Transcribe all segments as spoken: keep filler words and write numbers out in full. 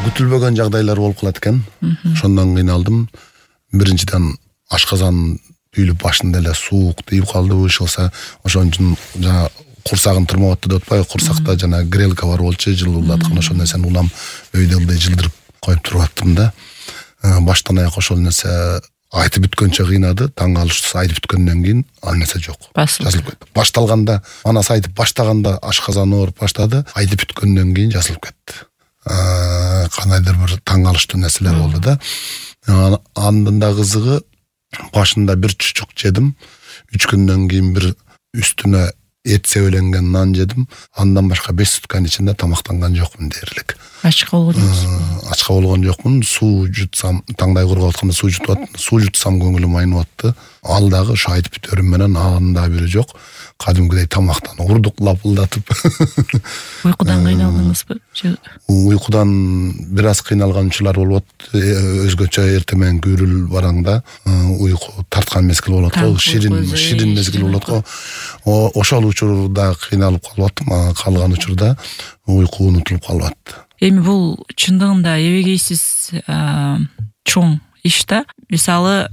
күтүлбөгөн жагдайлар болуп калат экен. Ошондон кыйналдым. Биринчиден ашказан үйлүп башында эле суук тийип калды, ышылса, ошон үчүн жана курсагын тырмап атты деп атпайбы, курсакта жана грелка бар болчу, жылуулаткан ошол нерсени улам өйдө ылдый жылдырып коюп туруп аттым да. Баштан аяк ошол нерсе айтып бүткөнчө кыйнады, таң калыштысы айтып бүткөндөн кийин ал нерсе жок. Жазылып кетти. Башталганда, манас айтып баштаганда ашказан ооруп баштады, айтып бүткөндөн кийин жазылып кетти. Кандайдыр бир таң калыштуу нерселер болду да. Андан да кызыгы, башында бир чучук жедим, үч күндөн кийин бир үстүнө эт себеленген нан жедим. Андан башка беш сутканын ичинде тамактанган жокмун дээрлик. Ачка болгонсуз? Ачка болгон жокмун. Суу жутсам, таңдай кургап атканда суу жутуп аттым. Суу жутсам көңүлүм айнып атты. Ал дагы ошо айтып бүтөрүм менен анын да бири жок. Кадимкидей тамактан урдук лапылдатып. Уйкудан кыйналдыңызбы? Уйкудан бир аз кыйналган учурлар болуп атты. Өзгөчө эртең менен күрүл бараңда уйку тарткан мезгил болот го, ширин ширин мезгил болот го. Ошол учурда кыйналып калып аттым, калган учурда уйку унутулуп калып атты. Эми бул чындыгында эбегейсиз чоң иш да. Мисалы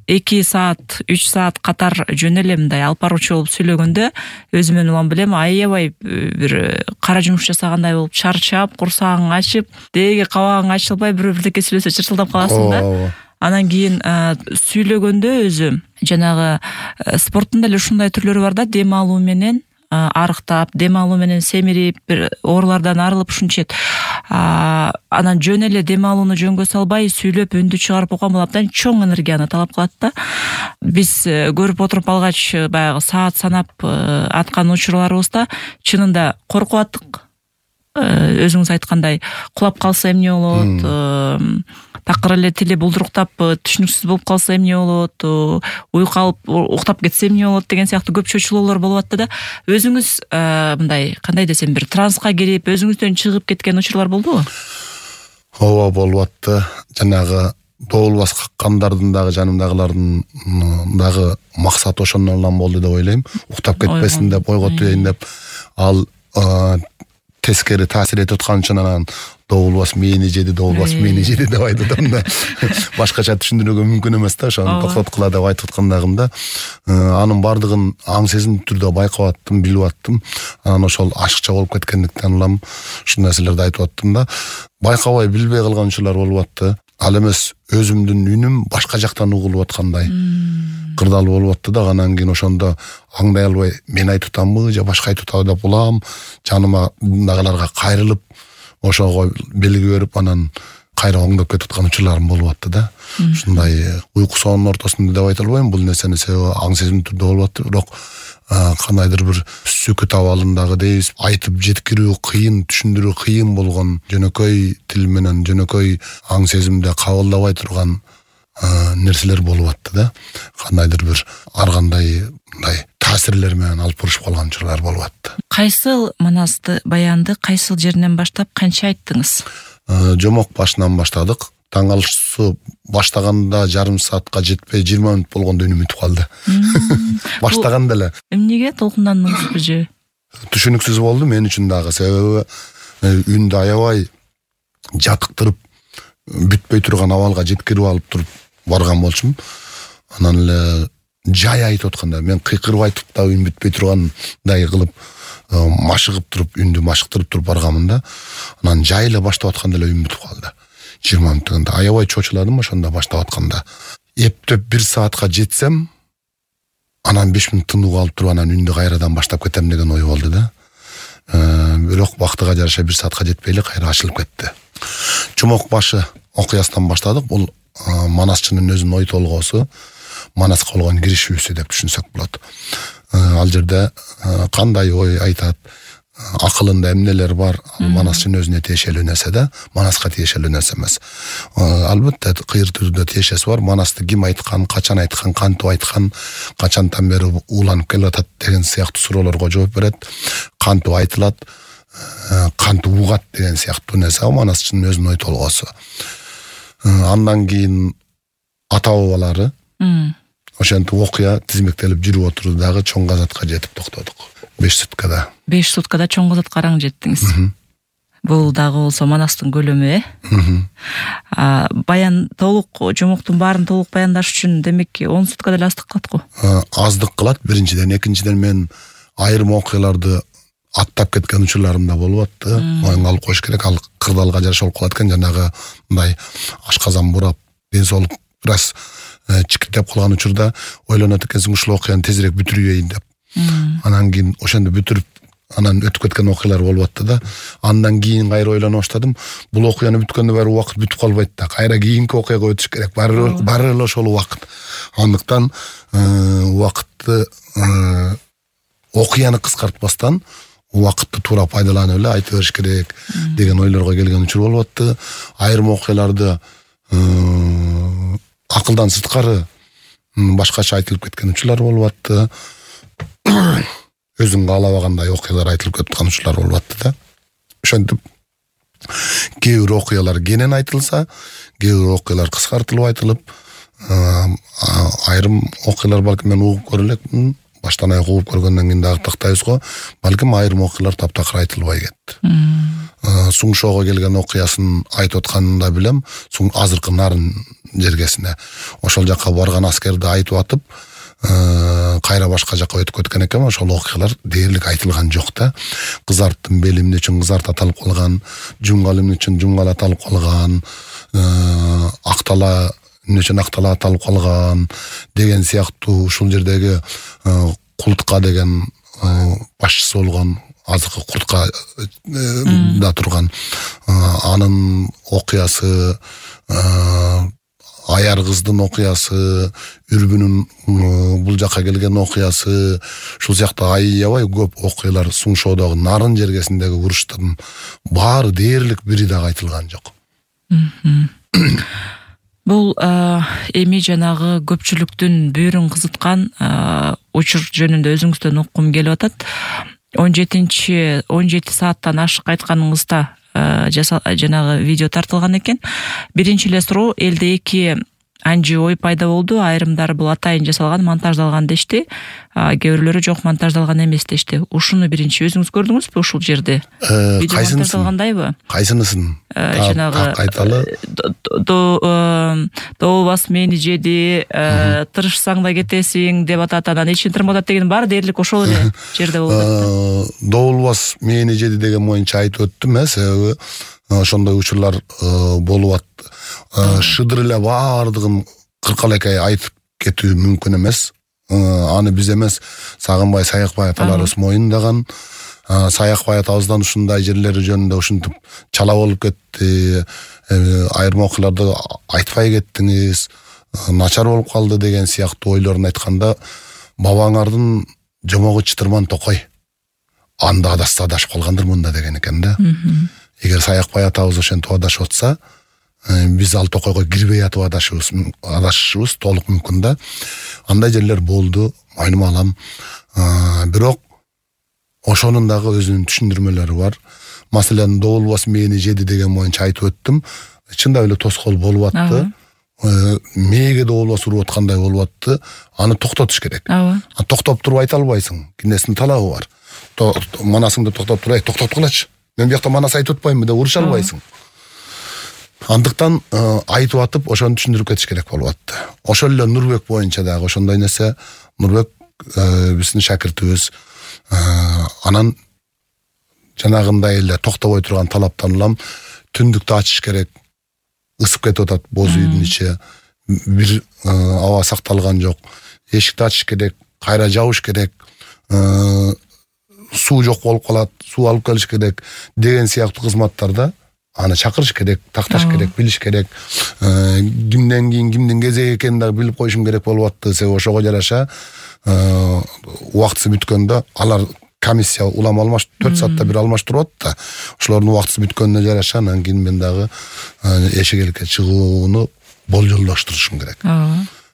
эки саат, үч саат катар жөн эле мындай алып баруучу болуп сүйлөгөндө өзүмөн улам билем, аябай бир кара жумуш жасагандай болуп чарчап, курсагың ачып, деги кабагың ачылбай бирөө бирдеке сүйлөсө чырчылдап каласың да. Анан кийин сүйлөгөндө өзү жанагы спорттун деле ушундай түрлөрү бар да, дем алуу менен арыктап, дем алуу менен семирип, бир оорулардан арылып ушунчет. Анан жөн эле дем алууну жөнгө салбай сүйлөп өндү чыгарып койгон болуп абдан чоң энергияны талап кылат да. Биз көрүп отуруп алгач, баягы саат санап аткан учурларыбызда чынында коркуп аттык. Өзүңүз айткандай, кулап калса эмне болот? Такыр эле тили булдуруктап, түшүнүксүз болуп калса эмне болот? Уйку алып, уктап кетсе эмне болот деген сыяктуу көп чөйчүлөөлөр болуп атты да. Өзүңүз мындай, кандай десем, бир транска кирип, өзүңүздөн чыгып кеткен учурлар болдубу? Ооба, болуп атты. Жанагы доолбас каккандардын дагы, жанымдагылардын дагы максаты ошондон улам болду деп ойлойм. Уктап кетпесин деп, ойготуйын деп, ал тескери таасир этип аткан үчүн анан доолбас мени жеди, доолбас мени жеди деп айтып атам да. Башкача түшүндүрүүгө мүмкүн эмес да, ошону токтоткула деп айтып аткандагым да. Анын бардыгын аң сезимдүү түрдө байкап аттым, билип аттым. Анан ошол ашыкча болуп кеткендиктен улам ушул нерселерди айтып аттым да. Байкабай билбей калган учурлар болуп атты. Ал эмес өзүмдүн үнүм башка жактан угулуп аткандай кырдаал болуп атты да. Анан кийин ошондо аңдай албай, мен айтып атамбы же башка айтып атабы деп улам, жанымдагыларга кайрылып, ошого белги берип, анан кайра оңдоп кетип аткан учурларым болуп атты да. Ушундай уйку соонун ортосунда деп айта албайм, бул нерсени себеби аң сезимдүү түрдө болуп атты, бирок кандайдыр бир сүкүт абалындагы дейбиз, айтып жеткирүү кыйын, түшүндүрүү кыйын болгон, жөнөкөй тил менен, жөнөкөй аң сезимде кабылдабай турган нерселер болуп атты да. Кандайдыр бир ар кандай мындай таасирлер менен алып бурушуп калган учурлар болуп атты. Кайсыл манасты, баянды кайсыл жеринен баштап канча айттыңыз? Жомок башынан баштадык. Таң калыштысы баштаганда жарым саатка жетпей жыйырма мүнөт болгондо үнүм бүтүп калды. Баштаганда эле. Эмнеге толкундандыңызбы же? Түшүнүксүз болду мен үчүн дагы, себеби үндү аябай жатыктырып бүтпөй турган абалга жеткирип алып туруп барган болчумун. Анан эле жай айтып атканда мен кыйкырып айтып да үн бүтпөй тургандай кылып машыгып туруп, үндү машыктырып туруп барганмын да. Анан жай эле баштап атканда эле үн бүтүп калды. жыйырма мүнөттөгөндө аябай чочуладым ошондо баштап атканда. Эптеп бир саатка жетсем, анан беш мүнөт тынуу алып туруп, анан үндү кайрадан баштап кетем деген ой болду да. Бирок бактыга жараша бир саатка жетпей эле кайра ачылып кетти. Жомок башы окуясынан баштадык. Бул манасчынын өзүнүн ой толгоосу, манаска болгон киришүүсү деп түшүнсөк болот. Ал жерде кандай ой айтат, акылында эмнелер бар, манасчынын өзүнө тиешелүү нерсе да, манаска тиешелүү нерсе эмес. Албетте кыйыр түрдө тиешеси бар. Манасты ким айткан, качан айткан, кантип айткан, качантан бери уланып келип атат деген сыяктуу суроолорго жооп берет. Кантип айтылат, кантип угат деген сыяктуу нерсе манасчынын өзүнүн ой толгоосу. Андан кийин ата бабалары ошентип окуя тизмектелип жүрүп отурду дагы чоң казатка жетип токтодук. беш суткада. беш суткада чоң казатка араң жеттиңиз. Бул дагы болсо Манастын көлөмү, э? Баян толук жомоктун баарын толук баяндаш үчүн демек он сутка деле аздык кылат го. Аздык кылат биринчиден, экинчиден мен айрым окуяларды аттап кеткен учурларым да болуп атты. Моюнга алып коюш керек, ал кырдаалга жараша болуп калат экен, жанагы мындай ашказан бурап, ден соолук бир аз чикиттеп калган учурда ойлонот экенсиң ушул окуяны тезирээк бүтүрөйүн деп. Анан кийин ошондо бүтүрүп анан өтүп кеткен окуялар болуп атты да. Андан кийин кайра ойлоно баштадым. Бул окуяны бүткөндө баары убакыт бүтүп калбайт да. Кайра кийинки окуяга өтүш керек. Баары баары эле ошол убакыт. Андыктан убакытты окуяны кыскартпастан убакытты туура пайдаланып эле айта бериш керек деген ойлорго келген учур болуп атты. Айрым окуяларды акылдан сырткары башкача айтылып кеткен учурлар болуп атты. Өзүң каалабагандай окуялар айтылып кеткен учурлар болуп атты да. Ошентип кээ бир окуялар кенен айтылса, кээ бир окуялар кыскартылып айтылып, айрым окуялар балким мен угуп көрө элекмин, баштан аяк угуп көргөндөн кийин дагы тактайбыз го, балким айрым окуялар таптакыр айтылбай кетти. Суң шоого келген окуясын айтып атканын да билем, суң азыркы Нарын жергесине ошол жака барган аскерди айтып атып, кайра башка жака өтүп кеткен экен, ошол окуялар дээрлик айтылган жок да. Кызарттын бели эмне үчүн кызарт аталып калган, жумгал эмне үчүн жумгал аталып калган, актала эмне үчүн актала аталып калган деген сыяктуу ушул жердеги Култка деген башчысы болгон, азыркы Куртка да турган анын окуясы, Аяр кыздын окуясы, Үрбүнүн бул жака келген окуясы, ушул сыяктуу аябай көп окуялар Суң шоодогу Нарын жергесиндеги уруштун баары дээрлик бири дагы айтылган жок. Бул эми жанагы көпчүлүктүн бүйүрүн кызыткан учур жөнүндө өзүңүздөн уккум келип атат. он жетинчи он жети сааттан ашык айтканыңызда жанагы видео тартылган экен. Биринчи эле суроо, элде эки анжы ой пайда болду. Айрымдары бул атайын жасалган, монтаждалган дешти. Кээ бирлөрү жок, монтаждалган эмес дешти. Ушуну биринчи өзүңүз көрдүңүзбү ушул жерде? Видео монтаждалгандайбы? Кайсынысын? Жанагы айталы. Доолбас мени жеди, тырышсаң да кетесиң деп атат, анан эчин тырматат деген баары дээрлик ошол эле жерде болду. Доолбас мени жеди деген боюнча айтып өттүм, э, себеби ошондой учурлар болуп атты. Шыдыр эле баардыгын кыркалекай айтып кетүү мүмкүн эмес. Аны биз эмес, Сагынбай Саякбай аталарыбыз моюндаган. Саякбай атабыздан ушундай жерлери жөнүндө ушинтип чала болуп кетти, айрым окуяларды айтпай кеттиңиз, начар болуп калды деген сыяктуу ойлорун айтканда, бабаңардын жомогу чытырман токой. Анда адашса адашып калгандырмын да деген экен да. Эгер Саякбай атабыз ошентип адашып атса, биз ал токойго кирбей атып адашыбыз, адашышыбыз толук мүмкүн да. Андай жерлер болду, мойнума алам. Бирок ошонун дагы өзүнүн түшүндүрмөлөрү бар. Маселен, Доолбас мени жеди деген боюнча айтып өттүм. Чындап эле тоскоол болуп атты. Мээге Доолбас уруп аткандай болуп атты. Аны токтотуш керек. Токтоп туруп айта албайсың. Кинестин талабы бар. Манасыңды токтоп туруп, токтоп кылачы. Мен бияқта манас айтып отпаймын деп уруша албайсың. Андыктан айтып атып, ошону түшүндүрүп кетиш керек болуп атты. Ошол эле Нурбек боюнча дагы ошондой нерсе. Нурбек биздин шакиртибиз. Анан жанагындай эле токтобой турган талаптан улам түндүктү ачыш керек. Ысып кетип атат боз үйдүн ичи. Бир аба сакталган жок. Эшикти ачыш керек, кайра жабыш керек. Суу жок болуп калат, суу алып келиш керек деген сыяктуу кызматтарда аны чакырыш керек, такташ керек, билиш керек. Кимден кийин кимдин кезеги экенин дагы билип коюшум керек болуп атты. Себеби ошого жараша убактысы бүткөндө алар комиссия улам алмаш төрт саатта бир алмаштырып атты. Ошолордун убактысы бүткөнүнө жараша анан кийин мен дагы эшикеликке чыгууну болжолдоштурушум керек.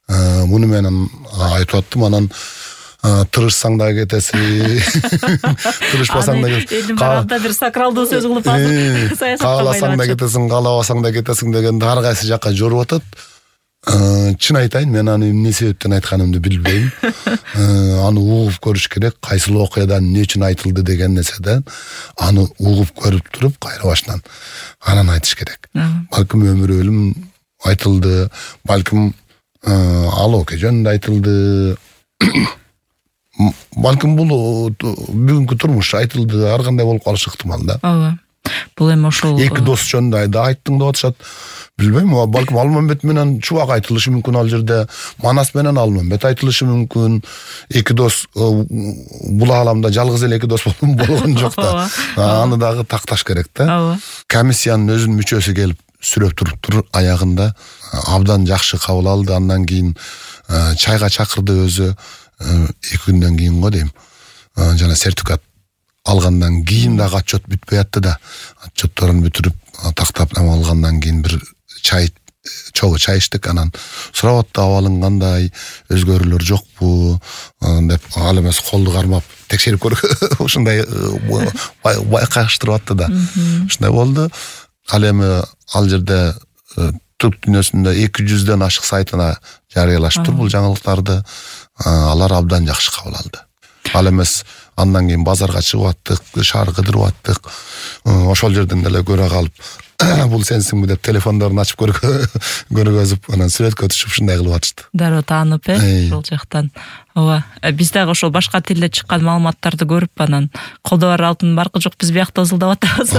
Муну менен айтып аттым. Анан тырышсаң да кетесиң, тырышпасаң да кетесиң. Калда бир сакралдуу сөз кылып алып, кааласаң да кетесиң, каалабасаң да кетесиң дегенди ар кайсы жакка жоруп атат. Чын айтайын, мен аны эмне себептен айтканымды билбейм. Аны угуп көрүш керек, кайсыл окуядан эмне үчүн айтылды деген нерседен аны угуп көрүп туруп кайра башынан анан айтыш керек. Балким өмүр өлүм айтылды, балким ал окуя жөнүндө айтылды. Балким бул бүгүнкү турмуш айтылды, ар кандай болуп калышы ыктымал да. Ооба. Бул эми ошол эки дос жөнүндө да айттың деп атышат. Билбейм, балким Алмамбет менен Чубак айтылышы мүмкүн ал жерде, Манас менен Алмамбет айтылышы мүмкүн. Эки дос бул ааламда жалгыз эле эки дос болгон жок да. Аны дагы такташ керек да. Комиссиянын өзүнүн мүчөсү келип сүрөп туруптур, аягында абдан жакшы кабыл алды. Андан кийин чайга чакырды өзү. Эки күндөн кийин го дейм. Жана сертификат алгандан кийин дагы отчет бүтпөй атты да. Отчетторун бүтүрүп тактап алгандан кийин бир чай чогуу чай иштик, анан сурап атты абалың кандай, өзгөрүүлөр жокпу деп, ал эмес колду кармап текшерип көргөн ушундай байкаштырып атты да. Ушундай болду. Ал эми ал жерде түрк дүйнөсүндө эки жүздөн ашык сайтына жарыялаштыр бул жаңылыктарды. Алар абдан жакшы кабыл алды. Ал эмес андан кийин базарга чыгып аттык, шаар кыдырып аттык. Ошол жерден деле көрө калып, бул сенсиңби деп телефондорун ачып көргөзүп, анан сүрөткө түшүп ушундай кылып атышты. Дароо таанып, э, ошол жактан. Ооба. Биз дагы ошол башка тилде чыккан маалыматтарды көрүп, анан колдо бар алтын баркы жок, биз биякта ызылдап атабыз.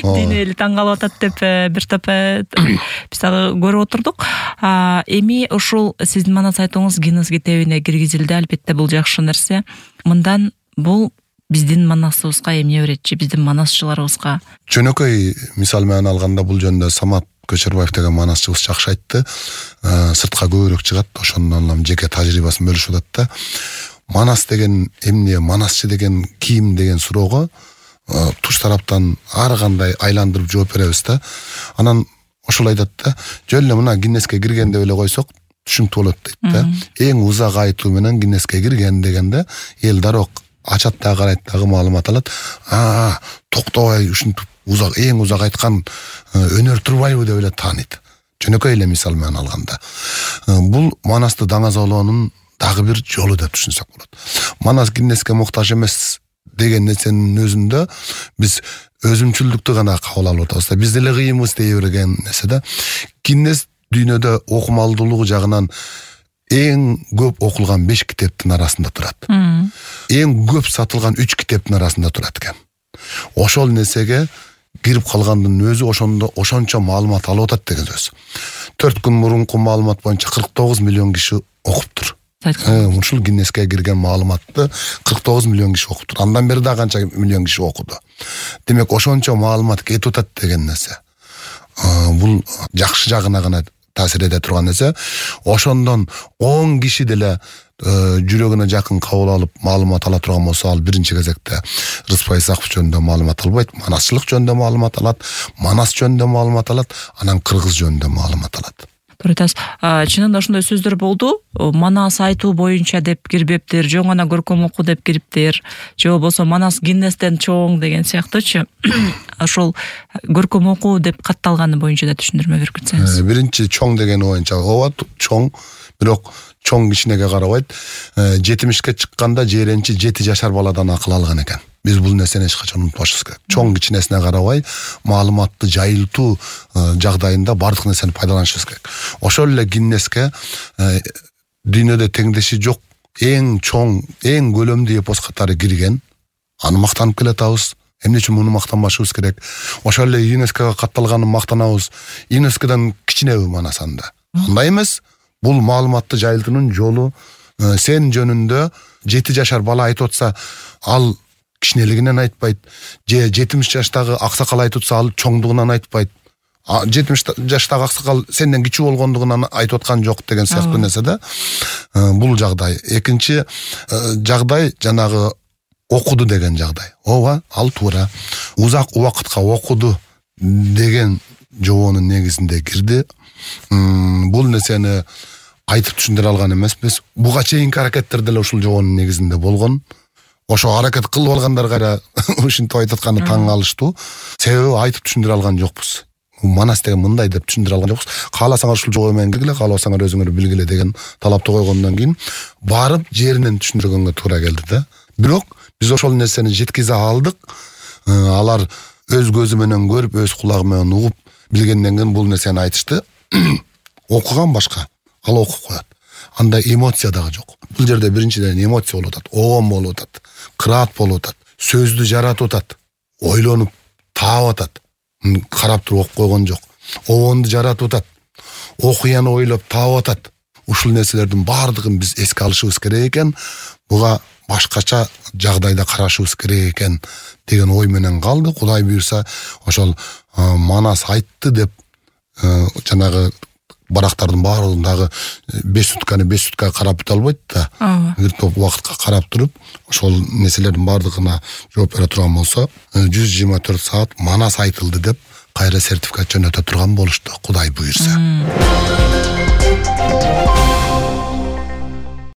Дине эли таң калып атат деп бир топ биз дагы көрүп отурдук. Эми ушул сиздин Манас айтууңуз Гиннес китебине киргизилди, албетте бул жакшы нерсе. Мындан бул биздин Манасыбызга эмне берет, биздин манасчыларыбызга? Жөнөкөй мисал менен алганда бул жөнүндө Самат Көчөрбаев деген манасчыбыз жакшы айтты. Сыртка көбүрөөк чыгат, ошондон жеке тажрыйбасын бөлүшүп атат да. Манас деген эмне, манасчы деген ким деген суроого туш тараптан ар кандай айландырып жооп беребиз да. Анан ошол айтат да, жөн эле мына Гиннеске кирген деп эле койсок түшүнүктүү болот дейт да. Эң узак айтуу менен Гиннеске кирген дегенде эл дароо ачат да, карайт дагы маалымат алат. А, токтобой ушинтип узак, эң узак айткан өнөр турбайбы деп эле тааныйт. Жөнөкөй эле мисал менен алганда. Бул Манасты даңазалоонун дагы бир жолу деп түшүнсөк болот. Манас Гиннеске муктаж эмес деген нерсенин өзүндө биз өзүмчүлдүктү гана кабыл алып атабыз. Биз деле кыйынбыз дей берген нерсе да. Гиннес дүйнөдө окумалдуулугу жагынан эң көп окулган беш китептин арасында турат. Эң көп сатылган үч китептин арасында турат экен. Ошол нерсеге кирип калгандын өзү ошондо ошончо маалымат алып атат деген сөз. төрт күн мурунку маалымат боюнча кырк тогуз миллион киши окуптур. Ушул Гиннеске кирген маалыматты кырк тогуз миллион киши окуптур. Андан бери да канча миллион киши окуду. Демек ошончо маалымат кетип атат деген нерсе. Бул жакшы жагына гана таасир эте турган нерсе. Ошондон он киши деле жүрөгүнө жакын кабыл алып маалымат ала турган болсо, ал биринчи кезекте Рыспай Исаков жөнүндө маалымат албайт, манасчылык жөнүндө маалымат алат, Манас жөнүндө маалымат алат, анан кыргыз жөнүндө маалымат алат. Туртас, чынында ошондой сөздөр болду. Манас айтуу боюнча деп кирбептир, жөн гана көркөм окуу деп кириптир, же болбосо Манас Гиннестен чоң деген сыяктуучу. Ошол көркөм окуу деп катталганы боюнча да түшүндүрмө берип кетсеңиз. Биринчи чоң деген боюнча ооба чоң, бирок чоң кичинеге карабайт. жетимишке чыкканда жээренчи жети жашар баладан акыл алган экен. Биз бул нерсени эч качан унутпашыбыз керек. Чоң кичинесине карабай, маалыматты жайылтуу жагдайында бардык нерсени пайдаланышыбыз керек. Ошол эле Гиннеске дүйнөдө теңдеши жок эң чоң, эң көлөмдүү эпос катары кирген. Аны мактанып келатабыз. Эмне үчүн муну мактанбашыбыз керек? Ошол эле ЮНЕСКОга катталганын мактанабыз. ЮНЕСКОдон кичинеби Манас анда? Андай эмес. Бул маалыматты жайылтуунун жолу. Сен жөнүндө жети жашар бала айтып атса, ал кичинелигинен айтпайт. Же жетимиш жаштагы аксакал айтып атса, ал чоңдугунан айтпайт. жетимиш жаштагы аксакал сенден кичүү болгондугунан айтып аткан жок деген сыяктуу нерсе да. Бул жагдай. Экинчи жагдай жанагы окуду деген жагдай. Ооба, ал туура. Узак убакытка окуду деген жообонун негизинде кирди. Бул нерсени кайтып түшүндүрө алган эмеспиз. Буга чейинки аракеттер деле ушул жообонун негизинде болгон. Ошо аракет кылып алгандар кайра ушинтип айтып атканы таң калыштуу. Себеби айтып түшүндүрө алган жокпуз. Манас деген мындай деп түшүндүрө алган жокпуз. Кааласаңар ушул жолу менен киргиле, каалабасаңар өзүңөр билгиле деген талапты койгондон кийин барып жеринен түшүндүргөнгө туура келди да. Бирок биз ошол нерсени жеткизе алдык. Алар өз көзү менен көрүп, өз кулагы менен угуп билгенден кийин бул нерсени айтышты. Окуган башка, ал окуп коет. Анда эмоция дагы жок. Бул жерде биринчиден эмоция болуп атат, оом болуп атат, кыраат болуп атат, сөздү жаратып атат, ойлонуп таап атат. Карап туруп окуп койгон жок. Оонду жаратып атат, окуяны ойлоп таап атат. Ушул нерселердин баардыгын биз эске алышыбыз керек экен. Буга башкача жагдайда карашыбыз керек экен деген ой менен калды. Кудай буйрса, ошол Манас айтты деп жанагы барактардын баардыгын дагы беш сутканы беш сутка карап бите албайт да. Бир топ убакытка карап туруп, ошол нерселердин баардыгына жооп бере турган болсо, жүз жыйырма төрт саат Манас айтылды деп кайра сертификат жөнөтө турган болушту, Кудай буйрса.